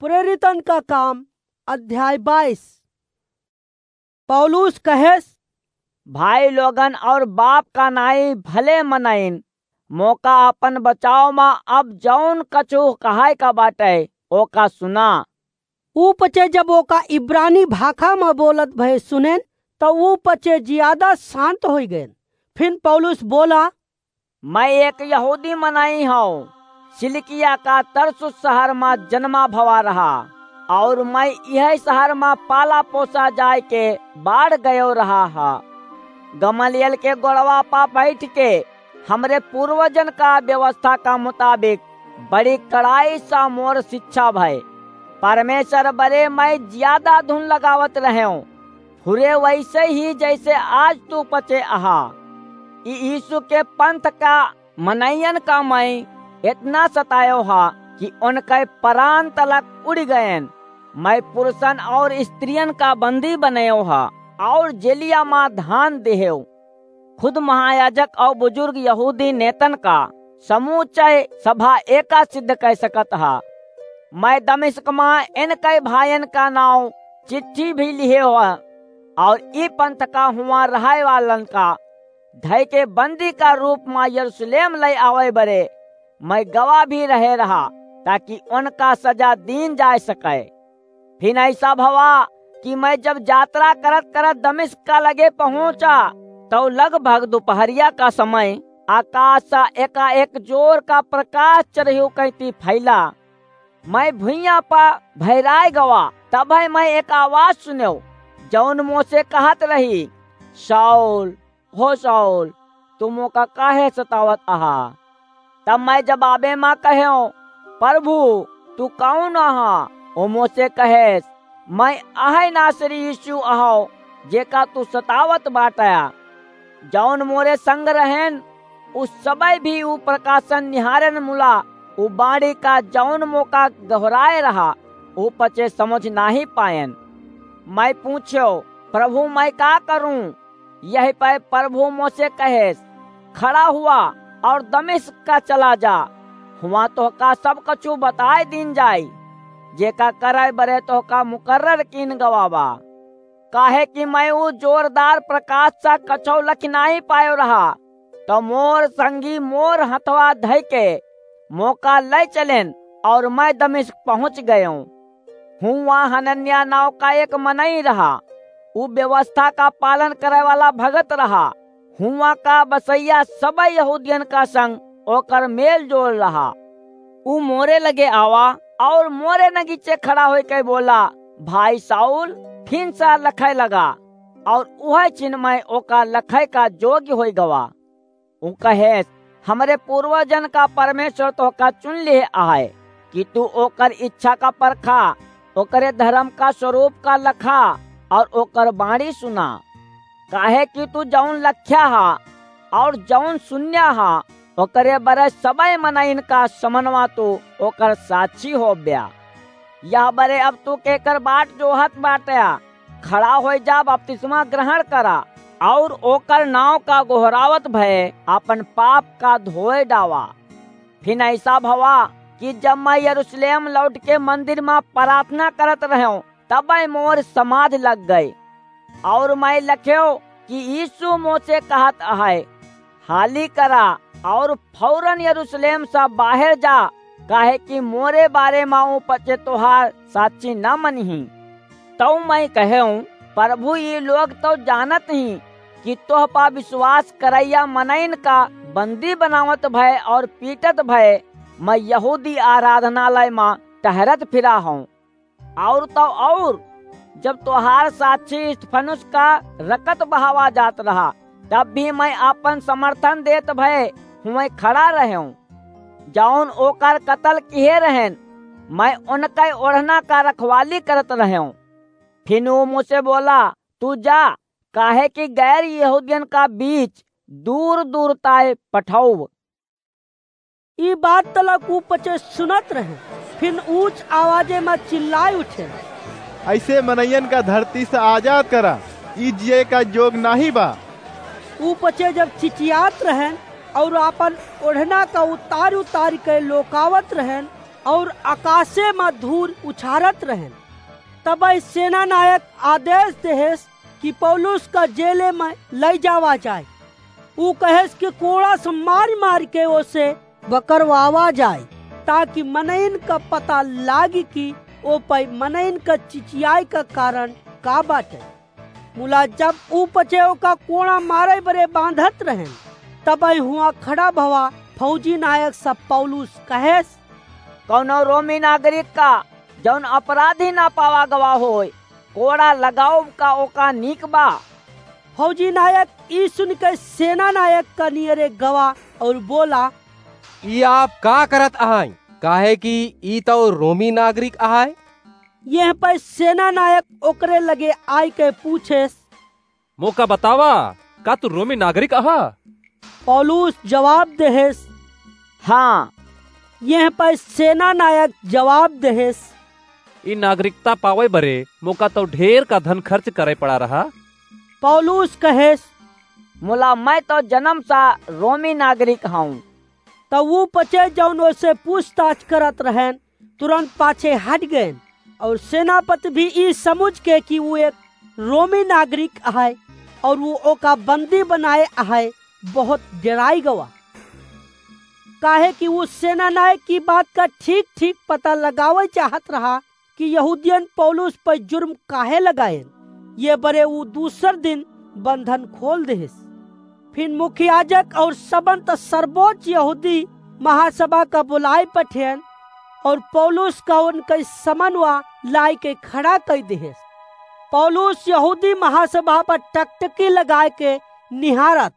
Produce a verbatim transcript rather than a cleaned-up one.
प्रेरितन का काम, अध्याय बाईस। पौलुस कहेस, भाई लोगन और बाप का नाई भले मनइन, मोका अपन बचाव मा अब जौन कछु कहाय का बाटे, ओका सुना। ऊ पचे जब ओका इब्रानी भाखा मा बोलत भए सुनेन, त ऊ पचे जियादा शांत होइ गएन। फिन पौलुस बोला, मैं एक यहूदी मनई हौं, सिलिकिया का तरसुस शहर मा जन्मा भवा रहा, और मैं इहै शहर मा पाला पोसा जाय के बाढ़ गयो रहा हा। गमलिएल के गोड़वा पा बैठ के हमरे पूर्वजन का व्यवस्था का मुताबिक बड़ी कड़ाई सा मोर शिक्षा भय। परमेश्वर बरे मैं ज्यादा धुन लगावत रहेंव, फुरे वैसे ही जैसे आज तू पचे अहा। ई यीशु के पंथ का मनइयन का मैं इतना सतायो हा कि उनके परान तलक उड़ि गएन। मैं पुरुषन और स्त्रियन का बंदी बनयो हा और जेलिया मा धान देहेव। खुद महायाजक और बुजुर्ग यहूदी नेतन का समूचे सभा एका सिद्ध कइ सकत हा। मैं दमिश्क मा इनके भायन का नाव चिट्ठी भी लिहे हा और ई पंथ का हुआ रहै वालन का धइ के बंदी का रूप मा यरूशलेम लइ आवै बरे मैं गवाह भी रहे रहा, ताकि उनका सजा दीन जाय सके। फिन ऐसा भवा कि मैं जब यात्रा करत करत दमिश्क का लगे पहुंचा, तौ लगभग दुपहरिया का समय आकाश सा एकाएक जोर का प्रकाश चरहियो कैती फैला। मैं भुइयां पा भैराय गवा, तबै मैं एक आवाज सुनेव, जौन मोसे कहत रही, शाऊल, हो शाऊल, तू मोका काहे सतावत अहा? तब मैं जवाबे मा कहेव, प्रभु, तू कौन अहा? ओ मोसे कहेस, मैं अहै नासरी यीशु अहौ, जेका तू सतावत बाटया। जौन मोरे संग रहेन, उ सबै भी उ प्रकाशन निहारेन मुला, उ बाणी का जौन मोका गहराए रहा, उ पचे समझ नाहीं पाएन। मैं पूछ्यो, प्रभु, मैं का करूं? यही पै प्रभु मोसे कहेस, खड़ा हुआ और दमिश्क का चला जा, हुआं तोहका सब कछु बताए दीन जाई, जेका करे बरे तोहका मुकर्रर कीन गवा बा। काहे कि मैं ऊ जोरदार प्रकाश सा कछौ लखि नाहीं पायो रहा, तो मोर संगी मोर हथवा धइ के मोका लइ चलेन और मैं दमिश्क पहुंच गयो। हुआं हनन्याह नाव का एक मनई रहा, ऊ व्यवस्था का पालन करे वाला भगत रहा। हुआं का बसैया सबै यहूदियन का संग ओकर मेल जोल रहा। ऊ मोरे लगे आवा और मोरे नगीचे खड़ा होइके बोला, भाई शाऊल, फिन सा लखै लगा, और उहै छिन मैं ओका लखै का जोग्य होइ गवा। ऊ कहेस, हमरे पूर्वजन का परमेश्वर तोहका चुन लिहे आहे कि तू ओकर इच्छा का परखा, ओकरे धर्म का स्वरूप का लखा और ओकर बाणी सुना। काहे कि तू जौन लख्या हा और जौन सुन्या हा, ओकरे बरे सबै मनइन का समनवा तू ओकर साक्षी होब्या। यह बरे अब तू केकर बाट जोहत बाटया? खड़ा होइ जा, बपतिस्मा ग्रहण करा और ओकर नाव का गोहरावत भए आपन पाप का धोए डावा। फिन ऐसा भवा कि जब मैं यरूशलेम लौट के मंदिर मा प्रार्थना करत रहेंव, तबै मोर समाध लग गए और मैं लखेंव कि यीशु मोसे कहत अहै, हाली करा और फौरन यरूशलेम सा बाहेर जा, काहे कि मोरे बारे मा ऊ पचे तोहार साक्षी न मनही। तौ मैं कहेंव, प्रभु, ई लोग तौ जानत ही कि तोह पा विश्वास करैया मनइन का बंदी बनावत भए और पीटत भए मैं यहूदी आराधनालय मा टहरत फिरा हौं। और तौ और, जब तोहार साक्षी स्तिफनुस का रकत बहावा जात रहा, तब भी मैं आपन समर्थन देत भए हुए खड़ा रहेंव। जौन ओकर कतल किहे रहेन, मैं उनकै ओढ़ना का रखवाली करत रहेंव। फिन ऊ मोसे बोला, तू जा, काहे कि गैर यहूदियन का बीच दूर दूर ताय पठौब। ई बात तलक ऊ पचे सुनत रहे, फिन ऊंच आवाजे मा चिल्लाय उठे, ऐसे मनइयन का धरती से आजाद करा, ई जिए का जोग नाहीं बा। ऊ पचे जब चिचियात रहेन और आपन ओढ़ना का उतार उतार के लोकावत रहेन, और आकाशे मा धूर उछारत रहेन। तबइ सेना नायक आदेश देहेस कि पौलुस का जेले मा लइ जावा जाए। ऊ कहेस कि कोड़ा से मारि मारि के ओसे बकरवावा जाए, ताकि मनइन का पता लागी कि ओ पइ मनइन का चिचियाए का कारण का बाटे। मुला जब ऊ पचे ओका कोड़ा मारे बरे बांधत रहेन, तबइ हुआ खड़ा भवा फौजी नायक सब पौलुस कहेस, कौनो रोमी नागरिक का जौन अपराधी ना पावा गवा होय, कोड़ा लगाउब का ओका नीक बा। फौजी नायक ई सुन के सेना नायक का नियरे गवा और बोला, ई आप का करत अहाई? काहे कि ई तउ रोमी नागरिक अहाय। यह पइ सेना नायक ओकरे लगे आइ के पूछेस, मोका बतावा, का तू रोमी नागरिक अहा? पौलुस जवाब देहेस, हाँ। यह पइ सेना नायक जवाब देहेस, ई नागरिकता पावे बरे मोका तउ ढेर का धन खर्च करे पड़ा रहा। पौलुस कहेस, मुला मैं तउ जन्म सा रोमी नागरिक हूँ। तउ ऊ पचे जौन ओसे पूछताछ करत रहेन, तुरंत पाछे हट गएन। और सेनापति भी ई समुझ के कि ऊ एक रोमी नागरिक अहइ और ऊ ओका बंदी बनाए अहइ, बहुत डेराइ गवा। काहे कि ऊ सेना नायक की बात का ठीक ठीक पता लगावे चाहत रहा कि यहूदियन पौलुस पर जुर्म काहे लगाएन। ये बरे ऊ दूसर दिन बंधन खोल देहेस। फिर मुख्य याजक और सबंत सर्वोच्च यहूदी महासभा का बुलाए पठेन और पौलुस का उनके समनवा लाए के खड़ा कइ देहेस। पौलुस यहूदी महासभा पर टकटकी लगाए के निहारत